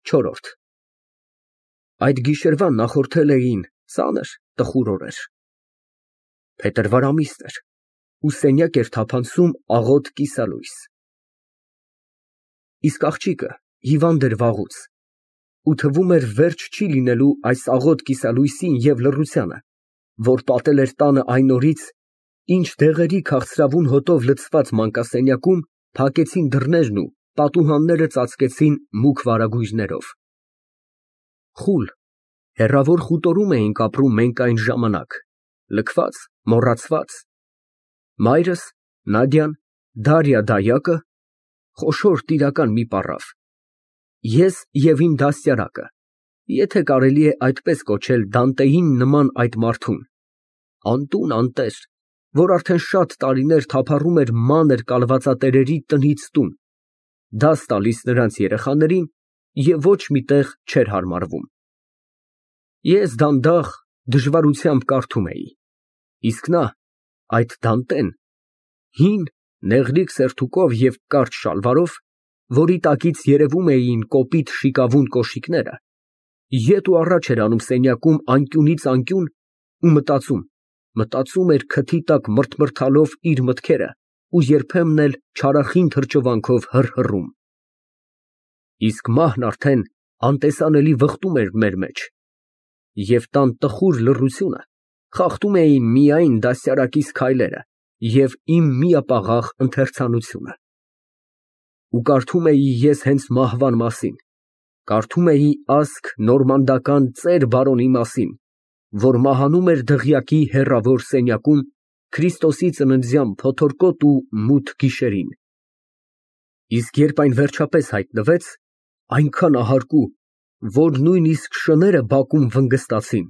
Չորրորդ Այդ գիշերվան նախորդել էին ծանր, տխուր օրեր։ Փետրվար ամիսն էր ու սենյակ էր թափանցում աղոտ կիսալույս։ Իսկ աղջիկը հիվանդ էր վաղուց, ու թվում էր վերջ չի լինելու այս աղոտ կիսալույսին և լռությանը, որ պատել էր տանը այն օրից, ինչ դեղերի քաղցրավուն հոտով լցված մանկասենյակում փակեցին դռներն ու պատուհանները ծածկեցին մուգ վարագույրներով։ Խուլ, հեռավոր խուտորում էինք ապրում մենք այն ժամանակ, լքված, մոռացված, մայրս, Նադյան, Դարյա, խոշոր տիրական մի պառավ, ես և իմ դաստիարակը, եթե կարելի է այդպես կոչել Դանտեին նման այդ մարդուն, անտուն անտեր, որ արդեն շատ տարիներ թափառում էր մանր կալվածատերերի տնից տուն, դաս տալիս նրանց երեխաներին և ոչ մի տեղ չէր հարմարվում։ Ես դանդաղ, դժվարությամբ կարդում էի, իսկ նա, այդ Դանտեն, հին, նեղլիկ սերտուկով և կարճ շալվարով, որի տակից երևում էին կոպիտ շիկավուն կոշիկները, ետ ու առաջ էր անում սենյակում անկյունից անկյուն ու մտածում էր քթի տակ մրթմրթալով իր մտքերը ու երբեմն էլ չարախին թրջովանքով հռհռում։ Իսկ մահն արդեն անտեսանելի վխտում էր մեր մեջ, և տան տխուր լռությունը խախտում էին միայն դաստիարակիս քայլերը և իմ միապաղաղ ընթերցանությունը։ Ու կարդում էի ես հենց մահվան մասին, կարդում էի ասք նորմանդական ծեր բարոնի մասին, որ մահանում էր դղյակի հեռավոր սենյակում Քրիստոսի ծննդյան փոթորկոտ ու մութ գիշերին։ Իսկ երբ այն վերջապես հայտնվեց, այնքան ահարկու, որ նույնիսկ շները բակում վնգստացին,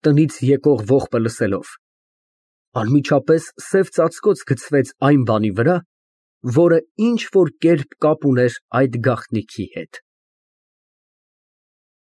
տնից եկող ողբը լսելով, անմիջապես սև ծածկոց գցվեց այն բանի վրա, որը ինչ֊որ կերպ կապ ուներ այդ գաղտնիքի հետ։